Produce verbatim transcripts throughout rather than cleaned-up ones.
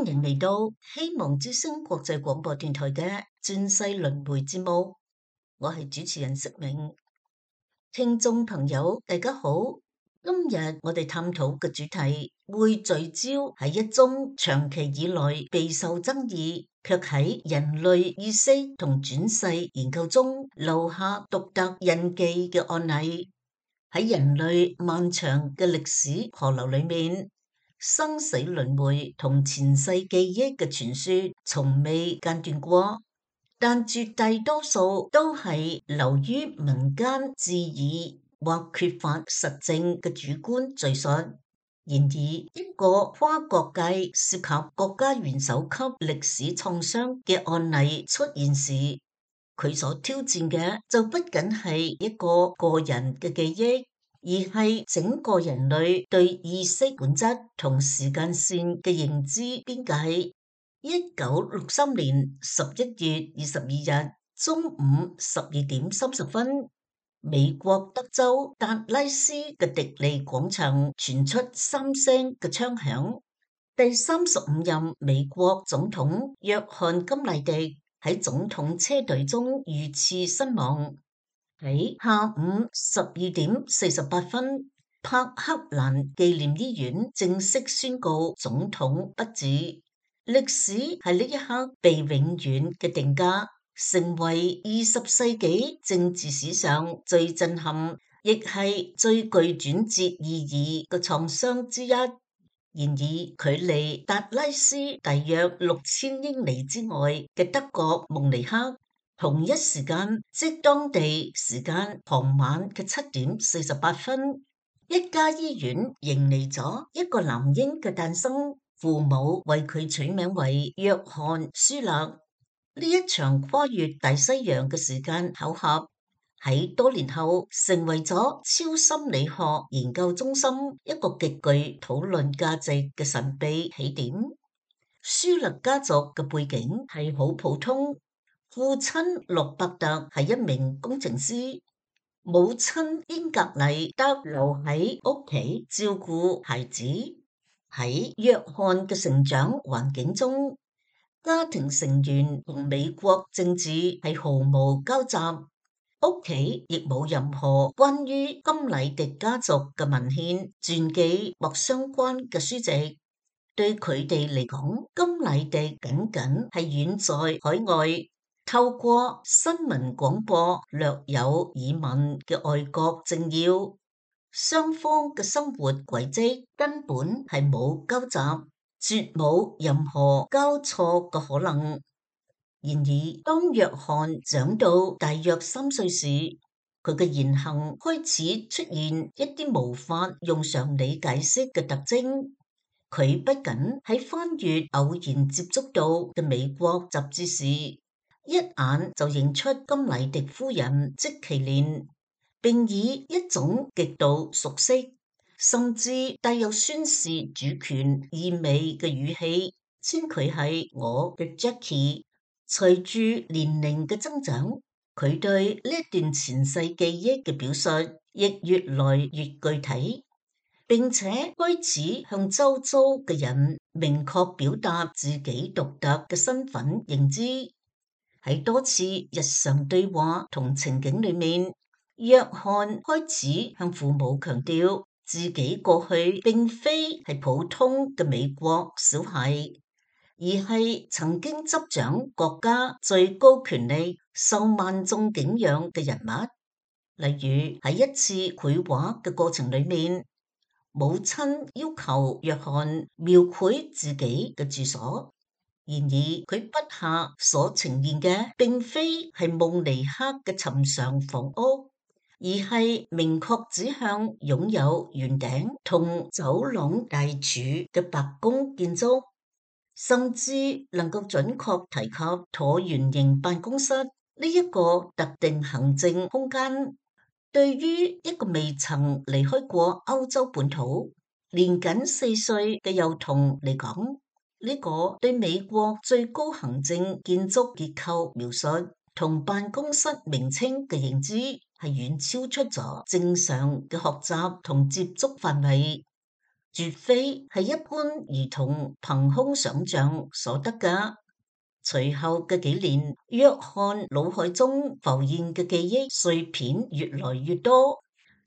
歡迎嚟到希望之聲國際廣播電台嘅轉世輪迴節目，我係主持人釋明。聽眾朋友大家好，今日我哋探討嘅主題會聚焦喺一宗長期以來備受爭議，卻喺人類意識同轉世研究中留下獨特印記嘅案例。喺人類漫長嘅歷史河流裏面，生死輪迴同前世記憶嘅傳說從未間斷過，但絕大多數都係流於民間自議或缺乏實證嘅主觀敘述。然而，一個跨國界涉及國家元首級歷史創傷嘅案例出現時，佢所挑戰嘅就不僅係一個個人嘅記憶，而係整個人類對意識本質同時間線嘅認知邊界。一九六三年十一月二十二日中午十二點三十分，美國德州達拉斯嘅迪利廣場傳出三聲嘅槍響。第三十五任美國總統約翰甘迺迪喺總統車隊中遇刺身亡。喺下午十二點四十八分，柏克蘭紀念醫院正式宣告總統不治。歷史喺呢一刻被永遠嘅定格，成為二十世紀政治史上最震撼，亦係最具轉折意義嘅創傷之一。然而，距離達拉斯大約六千英里之外嘅德國慕尼黑，同一時間，即當地時間傍晚嘅七點四十八分，一家醫院迎嚟咗一個男嬰嘅誕生，父母為佢取名為約翰舒勒。呢一場跨越大西洋嘅時間巧合，喺多年後成為咗超心理學研究中心一個極具討論價值嘅神秘起點。舒勒家族嘅背景係好普通。父親洛伯特係一名工程師，母親英格麗德留喺屋企照顧孩子。喺約翰嘅成長環境中，家庭成員同美國政治係毫無交集，屋企亦冇任何關於甘迺迪家族嘅文獻、傳記或相關嘅書籍。對佢哋嚟講，甘迺迪僅僅係遠在海外，透過新聞廣播略有耳聞嘅外國政要，雙方嘅生活軌跡根本係冇交集，絕冇任何交錯嘅可能。然而，當約翰長到大約三歲時，佢嘅言行開始出現一啲無法用常理解釋嘅特徵。佢不僅喺翻閱偶然接觸到嘅美國雜誌時，一眼就認出甘迺迪夫人即其連，並以一種極度熟悉，甚至帶有宣示主權意味嘅語氣，稱佢係我嘅 Jackie。隨住年齡嘅增長，佢對呢一段前世記憶嘅表述亦越來越具體，並且開始向周遭嘅人明確表達自己獨特嘅身份認知。喺多次日常對話同情景裏面，約翰開始向父母強調自己過去並非係普通嘅美國小孩，而係曾經執掌國家最高權力、受萬眾敬仰嘅人物。例如喺一次繪畫嘅過程裏面，母親要求約翰描繪自己嘅住所。然而，佢筆下所呈現嘅並非係慕尼黑嘅尋常房屋，而係明確指向擁有圓頂同走廊大柱嘅白宮建築，甚至能夠準確提及橢圓形辦公室呢一個特定行政空間。對於一個未曾離開過歐洲本土、年僅四歲嘅幼童嚟講，呢個對美國最高行政建築結構描述同辦公室名稱嘅認知係遠超出咗正常嘅學習同接觸範圍。絕非係一般兒童憑空想象所得㗎。隨後嘅幾年，約翰腦海中浮現嘅記憶碎片越來越多，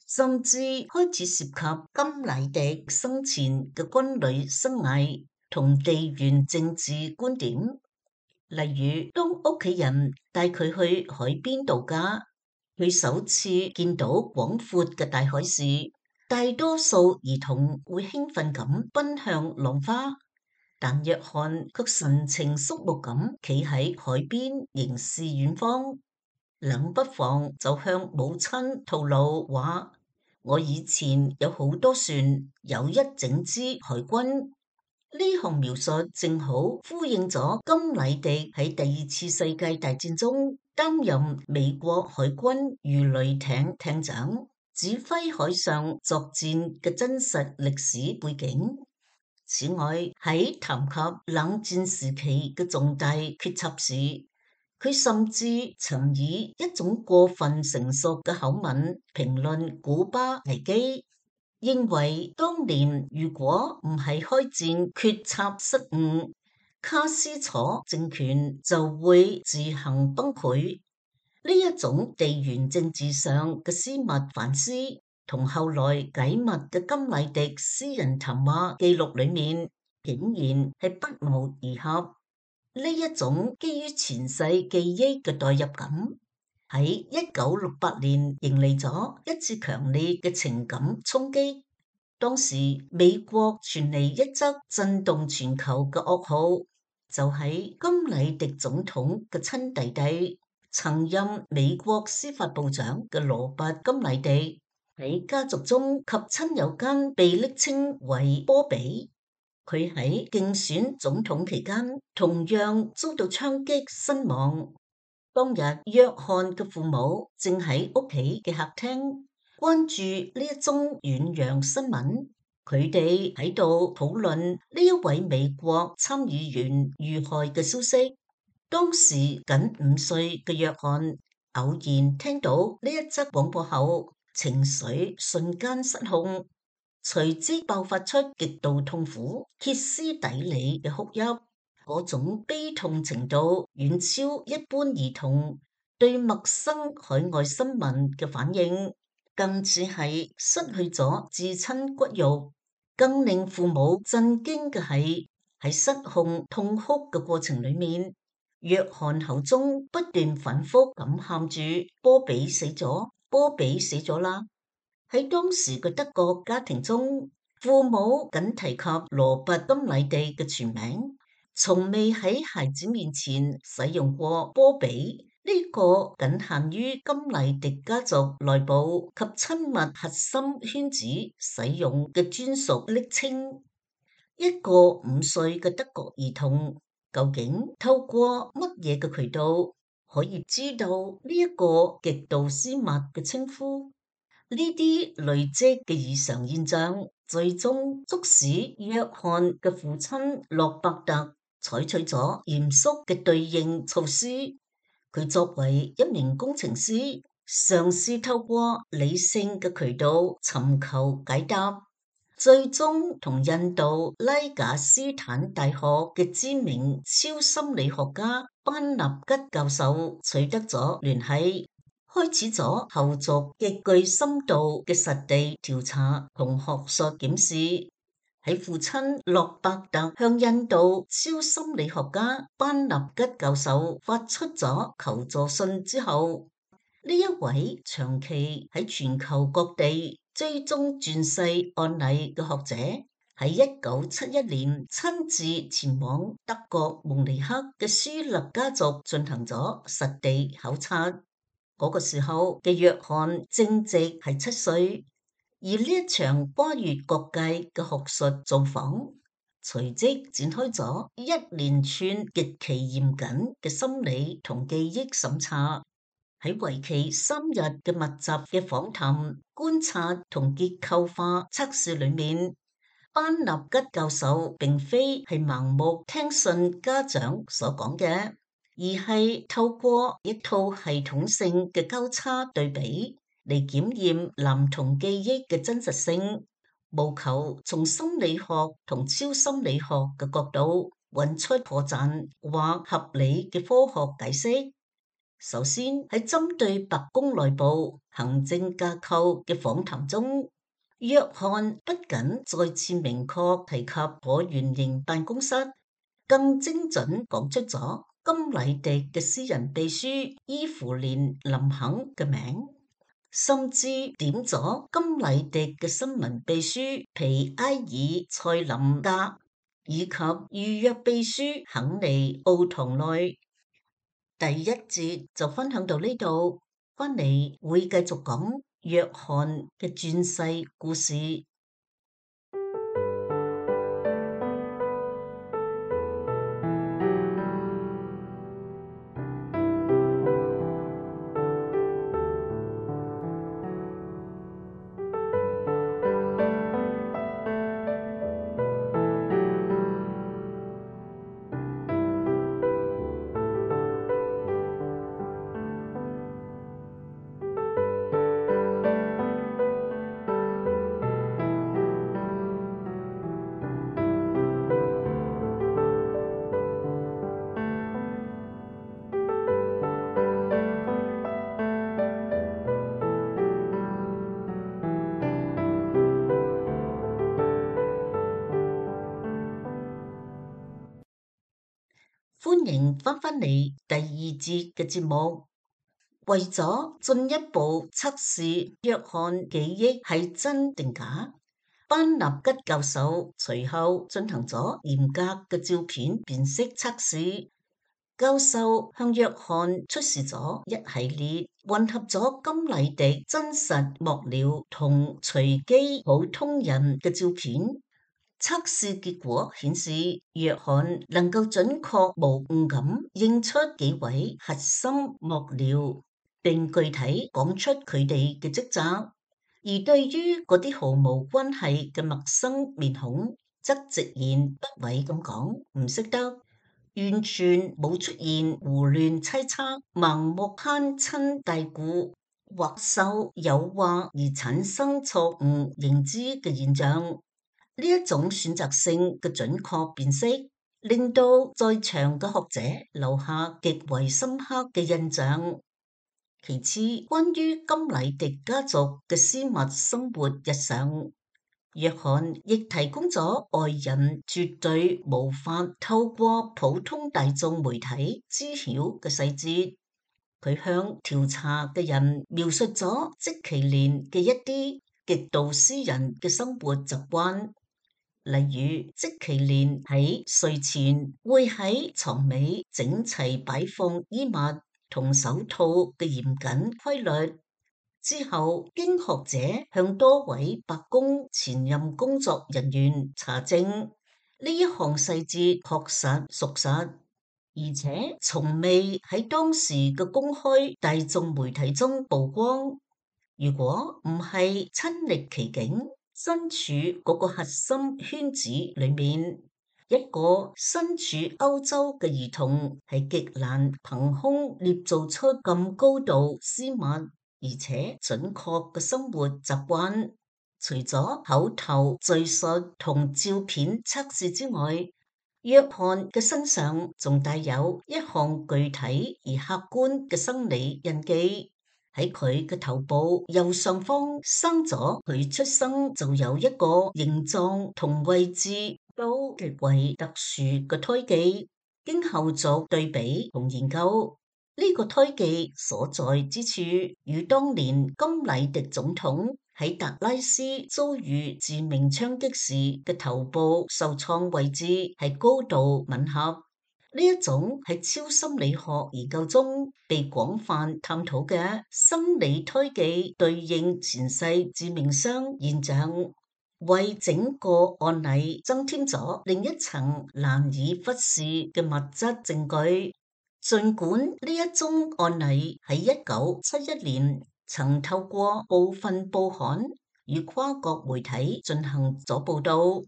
甚至開始涉及甘迺迪生前嘅軍旅生涯同地緣政治觀點。例如，當屋企人帶佢去海邊度假，佢首次見到廣闊嘅大海時，大多數兒童會興奮咁奔向浪花，但約翰卻神情肅穆咁企喺海邊凝視遠方，冷不防就向母親透露話：我以前有好多船，有一整支海軍。呢項描述正好呼應咗甘迺迪喺第二次世界大戰中擔任美國海軍魚雷艇艇長，指揮海上作戰嘅真實歷史背景。此外，喺談及冷戰時期嘅重大決策時，佢甚至曾以一種過分成熟嘅口吻評論古巴危機。認為當年如果唔係開戰決策失誤，卡斯楚政權就會自行崩潰。呢一種地緣政治上嘅私密反思，同後來解密嘅甘迺迪私人談話記錄裏面，竟然係不謀而合。呢一種基於前世記憶嘅代入感，喺一九六八年迎嚟咗一次強烈嘅情感衝擊。當時美國傳嚟一則震動全球嘅噩耗，就喺甘迺迪總統嘅親弟弟，曾任美國司法部長嘅羅拔甘迺迪喺家族中及親友間被昵稱為波比。佢喺競選總統期間同樣遭到槍擊身亡。當日約翰嘅父母正喺屋企嘅客廳關注呢一宗遠洋新聞，佢哋喺度討論呢一位美國參議員遇害嘅消息。當時僅五歲嘅約翰偶然聽到呢一則廣播後，情緒瞬間失控，隨即爆發出極度痛苦、歇斯底里嘅哭泣。嗰種悲痛程度遠超一般兒童對陌生海外新聞嘅反應，更似係失去咗至親骨肉。更令父母震驚嘅係，喺失控痛哭嘅過程裏面，約翰口中不斷反覆咁喊住：波比死咗，波比死咗啦！喺當時嘅德國家庭中，父母僅提及羅拔甘迺迪嘅全名，從未喺孩子面前使用過波比呢個僅限於甘迺迪家族內部及親密核心圈子使用嘅專屬昵稱。一個五歲嘅德國兒童究竟透過乜嘢嘅渠道可以知道呢一個極度私密嘅稱呼？呢啲累積嘅異常現象，最終促使約翰嘅父親洛伯特採取咗嚴肅嘅對應措施。佢作為一名工程師，嘗試透過理性嘅渠道尋求解答，最終同印度拉賈斯坦大學嘅知名超心理學家班納吉教授取得咗聯繫，開始咗後續極具深度嘅實地調查同學術檢視。喺父親洛伯特向印度超心理學家班納吉教授發出咗求助信之後，呢一位長期喺全球各地追蹤轉世案例嘅學者，喺一九七一年親自前往德國慕尼黑嘅舒勒家族進行咗實地考察。嗰個時候嘅約翰正值係七歲。而呢一場跨越各界嘅學術造訪，隨即展開咗一連串極其嚴謹嘅心理同記憶審查。喺為期三日嘅密集嘅訪談、觀察同結構化測試裏面，班納吉教授並非係盲目聽信家長所講嘅，而係透過一套系統性嘅交叉對比嚟檢驗男童記憶嘅真實性，務求從心理學同超心理學嘅角度揾出破綻或合理嘅科學解釋。首先喺針對白宮內部行政架構嘅訪談中，約翰不僅再次明確提及橢圓形辦公室，更精準講出咗甘迺迪嘅私人秘書伊芙蓮林肯嘅名，甚至點咗甘迺迪嘅新聞秘書皮埃爾塞林格以及預約秘書肯尼奧唐內。第一節就分享到呢度，翻嚟會繼續講約翰嘅傳世故事。歡迎翻返嚟第二節嘅節目。為咗進一步測試約翰記憶係真定假，班納吉教授隨後進行咗嚴格嘅照片辨識測試。教授向約翰出示咗一系列混合咗甘迺迪真實幕僚同隨機普通人嘅照片。測試結果顯示，約翰能夠準確無誤咁認出幾位核心幕僚，並具體講出佢哋嘅職責；而對於嗰啲毫無關係嘅陌生面孔，則直言不諱咁講唔識得，完全冇出現胡亂猜測、盲目攀親帶故或受誘惑而產生錯誤認知嘅現象。呢一種選擇性嘅準確辨識，令到在場嘅學者留下極為深刻嘅印象。其次，關於甘迺迪家族嘅私密生活日常，約翰亦提供咗外人絕對無法透過普通大眾媒體知曉嘅細節。佢向調查嘅人描述咗積其連嘅一啲極度私人嘅生活習慣。例如，積其連喺睡前會喺床尾整齊擺放衣物同手套嘅嚴謹規律。之後，經學者向多位白宮前任工作人員查證，呢一項細節確實屬實，而且從未喺當時嘅公開大眾媒體中曝光。如果唔係親歷其境，身處嗰個核心圈子裏面，一個身處歐洲嘅兒童係極難憑空捏造出咁高度私密而且準確嘅生活習慣。除咗口頭敘述同照片測試之外，約翰嘅身上仲帶有一項具體而客觀嘅生理印記。喺佢嘅頭部右上方生咗佢出生就有一個形狀同位置都極為特殊嘅胎記。經後續對比同研究，呢、這個胎記所在之處與當年甘迺迪總統喺達拉斯遭遇致命槍擊時嘅頭部受創位置係高度吻合。呢一種喺超心理學研究中被廣泛探討嘅生理胎記對應前世致命傷現象，為整個案例增添咗另一層難以忽視嘅物質證據。儘管呢一宗案例喺一九七一年曾透過部分報刊與跨國媒體進行咗報道，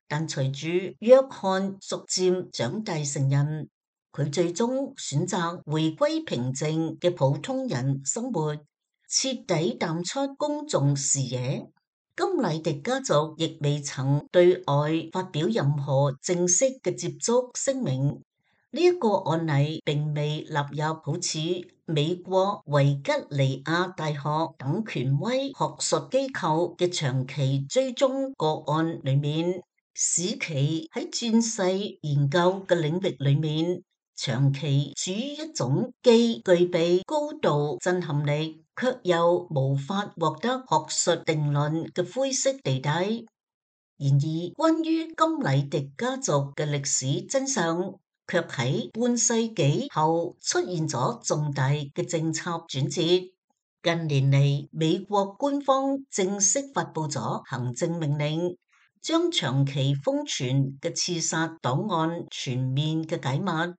但隨住約翰逐漸長大成人，佢最終選擇回歸平靜嘅普通人生活，徹底淡出公眾視野。甘迺迪家族亦未曾對外發表任何正式嘅接觸聲明。呢、這、一個案例並未納入好似美國維吉尼亞大學等權威學術機構嘅長期追蹤個案裏面，使其喺轉世研究嘅領域裏面長期處於一種既具備高度震撼力，卻又無法獲得學術定論嘅灰色地帶。然而，關於甘迺迪家族嘅歷史真相，卻喺半世紀後出現咗重大嘅政策轉折。近年嚟，美國官方正式發佈咗行政命令，將長期封存嘅刺殺檔案全面嘅解密。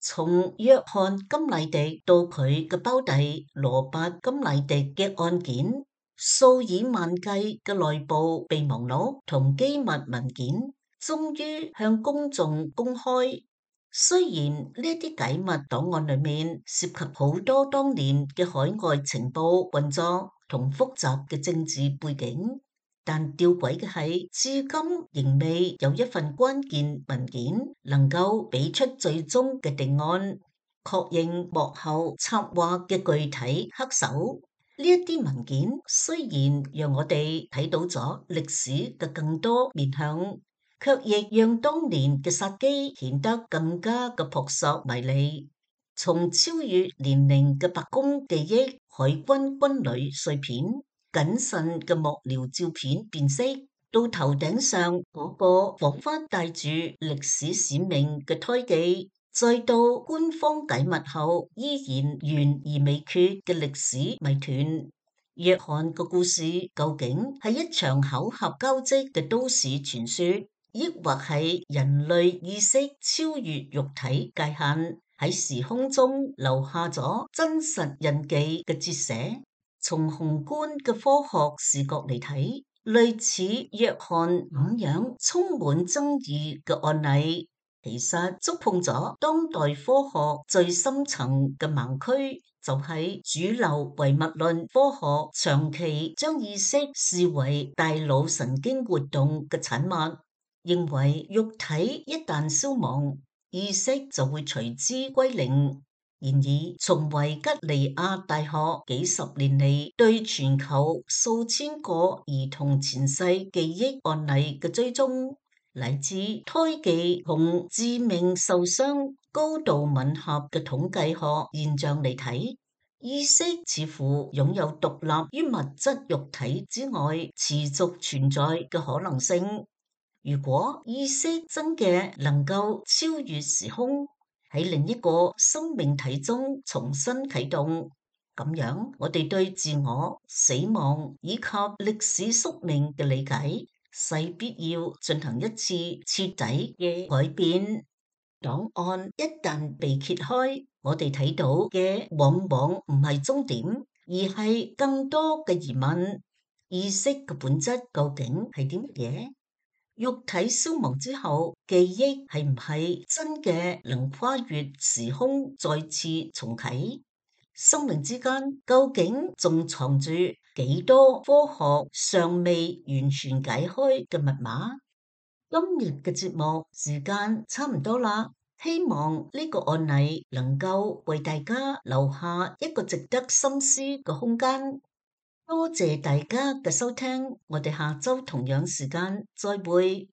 從約翰甘迺迪到佢嘅胞弟羅伯甘迺迪嘅案件，數以萬計嘅內部備忘錄同機密文件終於向公眾公開。雖然呢啲解密檔案裏面涉及好多當年嘅海外情報運作同複雜嘅政治背景，但吊詭嘅係，至今仍未有一份關鍵文件能夠俾出最終嘅定案，確認幕後策劃嘅具體黑手。呢一啲文件雖然讓我哋睇到咗歷史嘅更多面向，卻亦讓當年嘅殺機顯得更加嘅撲朔迷離。從超越年齡嘅白宮記憶、海軍軍旅碎片、謹慎嘅幕僚照片辨識，到頭頂上嗰個彷彿帶住歷史使命嘅胎記，再到官方解密後依然懸而未決嘅歷史謎團。約翰嘅故事究竟係一場巧合交織嘅都市傳說，抑或係人類意識超越肉體界限，喺時空中留下咗真實印記嘅折寫？從宏觀嘅科學視角嚟睇，類似約翰咁樣充滿爭議嘅案例，其實觸碰咗當代科學最深層嘅盲區，就係主流唯物論科學長期將意識視為大腦神經活動嘅產物，認為肉體一旦消亡，意識就會隨之歸零。然而，從維吉尼亞大學幾十年嚟對全球數千個兒童前世記憶案例嘅追蹤，乃至胎記同致命受傷高度吻合嘅統計學現象嚟睇，意識似乎擁有獨立於物質肉體之外持續存在嘅可能性。如果意識真嘅能夠超越時空，喺另一個生命體中重新啟動，咁樣我哋對自我、死亡以及歷史宿命嘅理解，勢必要進行一次徹底嘅改變。檔案一旦被揭開，我哋睇到嘅往往唔係終點，而係更多嘅疑問。意識嘅本質究竟係啲乜嘢？肉體消亡之後，記憶係唔係真嘅能跨越時空再次重啟？生命之間究竟仲藏住幾多科學尚未完全解開嘅密碼？今日嘅節目時間差唔多啦，希望呢個案例能夠為大家留下一個值得深思嘅空間。多謝大家嘅收聽，我哋下周同樣時間再會。